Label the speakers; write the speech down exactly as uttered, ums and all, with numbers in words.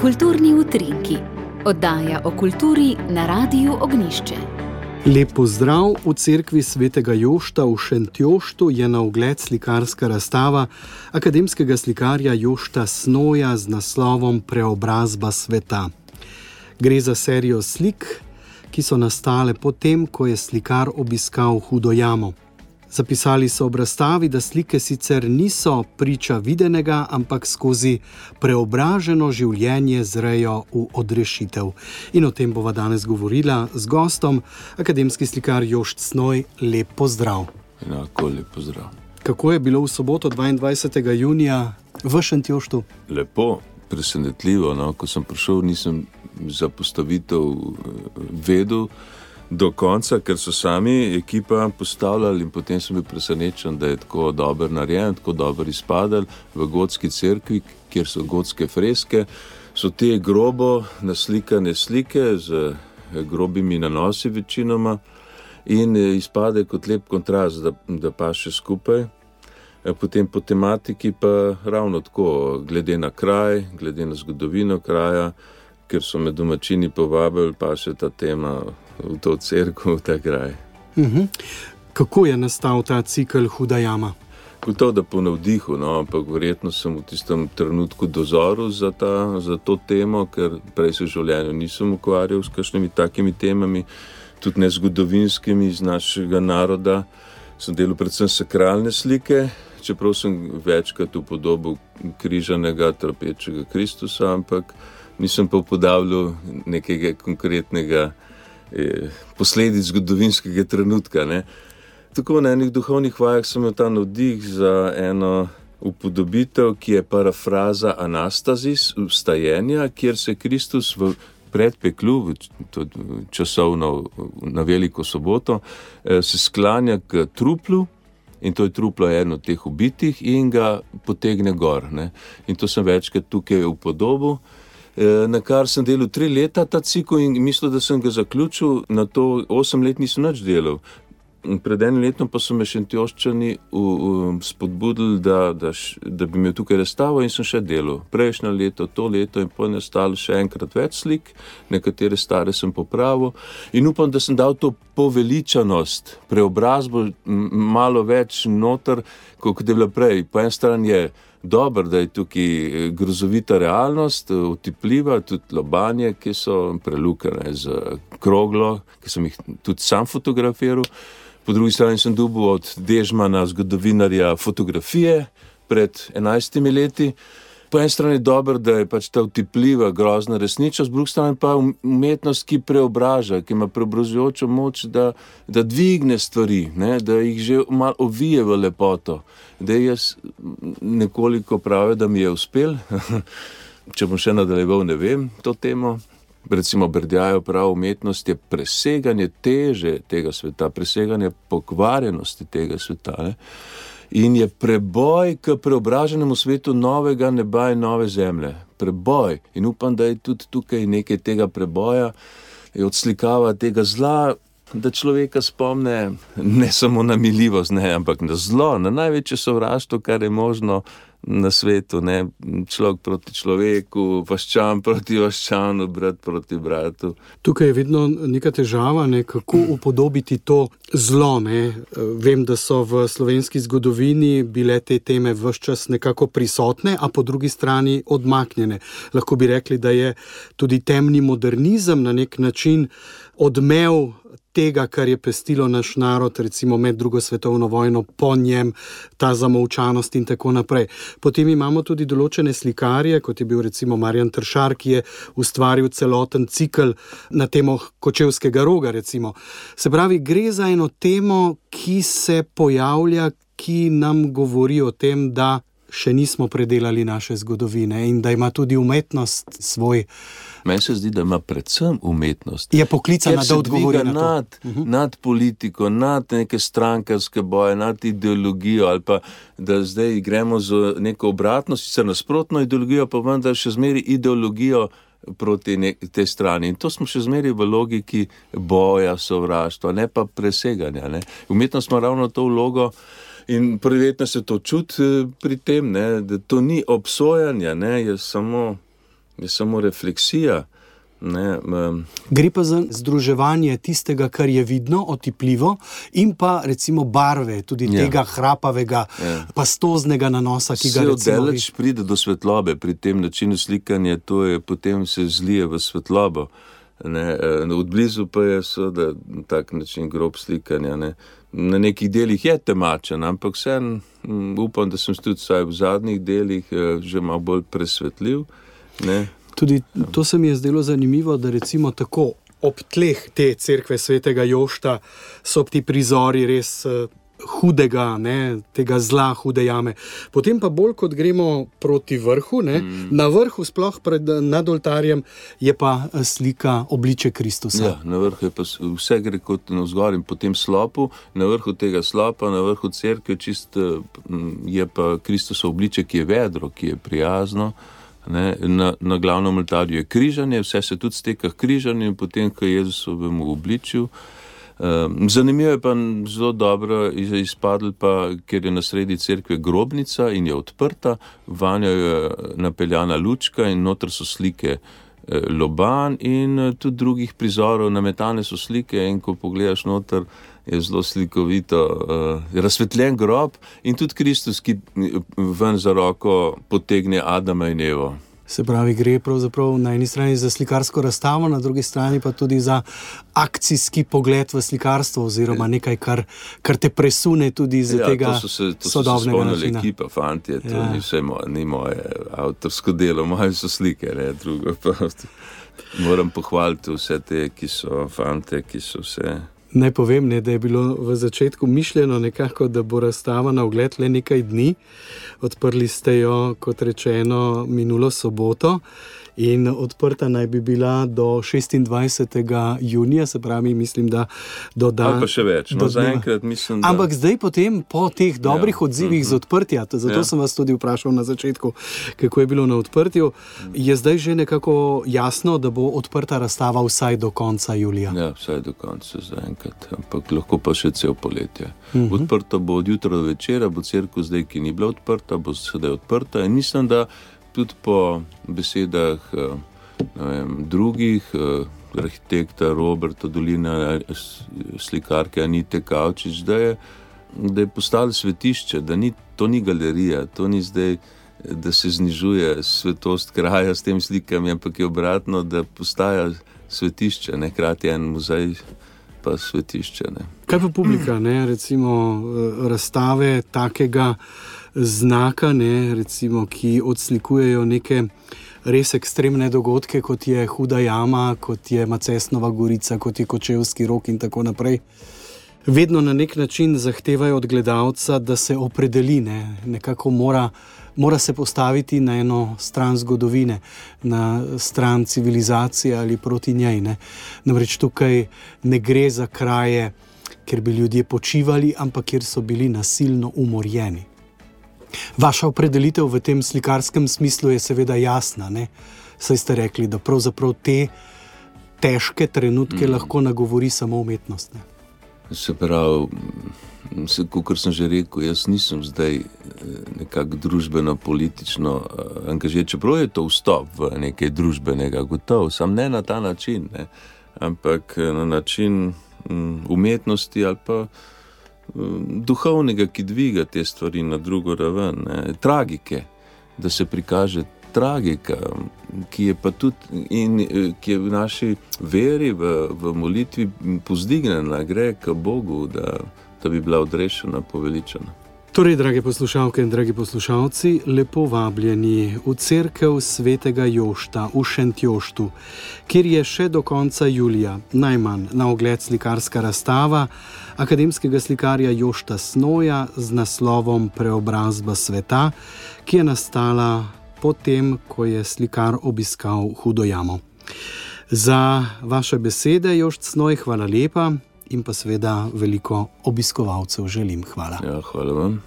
Speaker 1: Kulturni utrinki. Oddaja o kulturi na Radiu Ognjišče.
Speaker 2: Lep pozdrav. V cerkvi svetega Jošta v Šentjoštu je na ogled slikarska razstava akademskega slikarja Jošta Snoja z naslovom Preobrazba sveta. Gre za serijo slik, ki so nastale potem, ko je slikar obiskal Hudo jamo. Zapisali so ob razstavi, da slike sicer niso priča videnega, ampak skozi preobraženo življenje zrejo v odrešitev. In o tem bova danes govorila z gostom, akademski slikar Jošt Snoj. Lep pozdrav.
Speaker 3: Enako lep pozdrav.
Speaker 2: Kako je bilo v soboto dvaindvajsetega junija v Šentjoštu?
Speaker 3: Lepo, presenetljivo. No? Ko sem prišel, nisem za postavitev vedel do konca, ker so sami ekipa postavljali in potem sem bil presenečen, da je tako dobro narejen, tako dobro izpadal v gotski cerkvi, kjer so gotske freske. So te grobo naslikane slike z grobimi nanosi večinoma in izpade kot lep kontrast, da, da paše skupaj. Potem po tematiki pa ravno tako, glede na kraj, glede na zgodovino kraja, ker so me domačini povabili, pa še ta tema v to cerkev, v ta kraj.
Speaker 2: Uh-huh. Kako je nastal ta cikel Huda jama?
Speaker 3: Gotovo, da po navdihu, no, ampak verjetno sem v tistem trenutku dozoril za, ta, za to temo, ker prej se v življenju nisem ukvarjal s kakšnimi takimi temami, tudi ne zgodovinskimi iz našega naroda. Sem delal predvsem sakralne slike, čeprav sem večkrat upodobil križanega, trpečega Kristusa, ampak nisem pa upodabljal nekega konkretnega eh, posledic zgodovinskega trenutka. Ne. Tako na enih duhovnih vajah sem imel ta navdih za eno upodobitev, ki je parafraza Anastazis, vstajenja, kjer se Kristus v predpeklu, časovno na Veliko soboto, eh, se sklanja k truplu, in to je truplo eno od teh ubitih in ga potegne gor. Ne. In to sem večkrat tukaj upodobil, na kar sem delal tri leta ta cikel in mislil, da sem ga zaključil, na to osem let nisem nič delal. Pred enim letom pa so me Šentjoščani spodbudili, da, da, da bi imel tukaj razstavo in sem še delal. Prejšnje leto, to leto in potem je stalo še enkrat več slik, nekatere stare sem popravil in upam, da sem dal to poveličanost, preobrazbo malo več noter, kot je bila prej. Po en stran je dobro, da je tukaj grozovita realnost, otipljiva, tudi lobanje, ki so prelukane z kroglo, ki sem jih tudi sam fotografiral. Po drugi strani sem dobil od Dežmana, zgodovinarja, fotografije pred enajstimi leti. Po eni strani je dobro, da je pač ta otipljiva, grozna resničnost, po drugi strani pa umetnost, ki preobraža, ki ima preobražujočo moč, da, da dvigne stvari, ne? Da jih že malo ovije v lepoto. Da jaz nekoliko pravi, da mi je uspel, če bom še nadaljeval, ne vem, to temo. Recimo Berdjajev prav, umetnost je preseganje teže tega sveta, preseganje pokvarjenosti tega sveta, ne? In je preboj k preobraženemu svetu novega neba in nove zemlje. Preboj. In upam, da je tudi tukaj nekaj tega preboja, je odslikava tega zla, da človeka spomne ne samo na miljivost, ne, ampak na zlo, na največje sovraštvo, kar je možno na svetu, ne, človek proti človeku, vaščan proti vaščanu, brat proti bratu.
Speaker 2: Tukaj je vedno neka težava, ne, kako upodobiti to zlo, ne. Vem, da so v slovenski zgodovini bile te teme ves čas nekako prisotne, a po drugi strani odmaknjene. Lahko bi rekli, da je tudi temni modernizem na nek način odmev tega, kar je pestilo naš narod, recimo med drugo svetovno vojno, po njem, ta zamolčanost in tako naprej. Potem imamo tudi določene slikarje, kot je bil recimo Marjan Tršar, ki je ustvaril celoten cikel na temo Kočevskega roga, recimo. Se pravi, gre za eno temo, ki se pojavlja, ki nam govori o tem, da še nismo predelali naše zgodovine in da ima tudi umetnost svoj.
Speaker 3: Meni se zdi, da ima predvsem umetnost.
Speaker 2: Je poklicana, da odgovori na to.
Speaker 3: Nad, uh-huh. nad politiko, nad neke strankarske boje, nad ideologijo ali pa, da zdaj gremo z neko obratno, sicer nasprotno ideologijo, pa vendar še zmeri ideologijo proti te strani. In to smo še zmeri v logiki boja, sovraštva, ne pa preseganja. Ne? Umetnost ima ravno to vlogo In prijetno se to čuti pri tem, ne, da to ni obsojanje, ne, je samo, je samo refleksija. Ne, um.
Speaker 2: Gre pa za združevanje tistega, kar je vidno, otipljivo, in pa recimo barve, tudi ja. tega hrapavega, ja. pastoznega nanosa, ki ga recimo...
Speaker 3: Vse oddaleč pride do svetlobe pri tem načinu slikanja, to je potem se zlije v svetlobo. Ne, odblizu pa je seveda tak način grob slikanja. Ne. Na nekih delih je temačen, ampak vsem upam, da sem tudi vsaj v zadnjih delih že malo bolj presvetljiv. Ne.
Speaker 2: Tudi to se mi je zdelo zanimivo, da recimo tako ob tleh te cerkve svetega Jošta so ti prizori res uh, hudega, ne, tega zla, hude jame. Potem pa bolj, kot gremo proti vrhu, ne, mm. na vrhu sploh pred, nad oltarjem je pa slika obliče Kristusa.
Speaker 3: Ja, na vrhu je pa vse gre kot navzgor in po tem slopu, na vrhu tega slopa, na vrhu cerkve čist je pa Kristusovo obliče, ki je vedro, ki je prijazno. Ne, na, na glavnem oltarju je križanje, vse se tudi steka k križanju in potem k Jezusovemu obličju. Um, zanimivo je pa zelo dobro izpadlo pa, ker je na sredi cerkve grobnica in je odprta, vanjo je napeljana lučka in noter so slike eh, loban in eh, tudi drugih prizorov, nametane so slike in ko pogledaš noter, je zelo slikovito uh, razsvetljen grob in tudi Kristus, ki ven za roko potegne Adama in Evo.
Speaker 2: Se pravi, gre pravzaprav na eni strani za slikarsko razstavo, na drugi strani pa tudi za akcijski pogled v slikarstvo oziroma nekaj, kar, kar te presune tudi iz ja, tega
Speaker 3: to so se, to
Speaker 2: sodobnega načina.
Speaker 3: To so se spomnili ekipa, fantje, to ja. ni vse moje, ni moje avtorsko delo, moje so slike, ne, drugo pa moram pohvaliti vse te, ki so fante, ki so vse...
Speaker 2: Naj povem, ne, da je bilo v začetku mišljeno nekako, da bo razstava na ogled le nekaj dni. Odprli ste jo, kot rečeno, minulo soboto in odprta naj bi bila do šestindvajsetega junija, se pravi, mislim, da do dan...
Speaker 3: Ali pa še več, no zaenkrat mislim, da...
Speaker 2: Ampak zdaj potem, po teh dobrih ja. odzivih mm-hmm. z odprtja, zato ja. sem vas tudi vprašal na začetku, kako je bilo na odprtju, je zdaj že nekako jasno, da bo odprta razstava vsaj do konca julija.
Speaker 3: Ja, vsaj do konca zaenkrat, ampak lahko pa še cel poletje. Mm-hmm. Odprta bo od jutra do večera, bo cerkev zdaj, ki ni bila odprta, bo sedaj odprta in mislim, da tudi po besedah ne vem, drugih, arhitekta Roberta Dolina, slikarke Anite Kavčič, da je, da je postalo svetišče, da ni, to ni galerija, to ni zdaj, da se znižuje svetost kraja s tem slikami, ampak je obratno, da postaja svetišče, ne, hkrati en muzej pa svetišče. Ne.
Speaker 2: Kaj pa publika, ne, recimo razstave takega znaka, ne, recimo, ki odslikujejo neke res ekstremne dogodke, kot je Huda jama, kot je Macesnova gorica, kot je Kočevski rok in tako naprej. Vedno na nek način zahtevajo od gledalca, da se opredeli, ne, nekako mora, mora se postaviti na eno stran zgodovine, na stran civilizacije ali proti njej. Ne. Namreč tukaj ne gre za kraje, kjer bi ljudje počivali, ampak kjer so bili nasilno umorjeni. Vaša opredelitev v tem slikarskem smislu je seveda jasna, ne? Saj ste rekli, da pravzaprav te težke trenutke mm. lahko nagovori samo umetnost. Ne?
Speaker 3: Se pravi, kot sem že rekel, jaz nisem zdaj nekako družbeno-politično angažiran, čeprav je to vstop v nekaj družbenega, gotovo, sam ne na ta način, ne? Ampak na način umetnosti ali pa duhovnega, ki dviga te stvari na drugo raven, ne? Tragike, da se prikaže tragika, ki je pa tudi in ki je v naši veri, v, v molitvi povzdignjena, gre k Bogu, da, da bi bila odrešena, poveličena.
Speaker 2: Torej, drage poslušalke in dragi poslušalci, lepo vabljeni v cerkev svetega Jošta v Šentjoštu, kjer je še do konca julija najmanj na ogled slikarska razstava akademskega slikarja Jošta Snoja z naslovom Preobrazba sveta, ki je nastala potem, ko je slikar obiskal Hudo jamo. Za vaše besede, Jošt Snoj, hvala lepa in pa seveda veliko obiskovalcev želim. Hvala.
Speaker 3: Ja, hvala vam.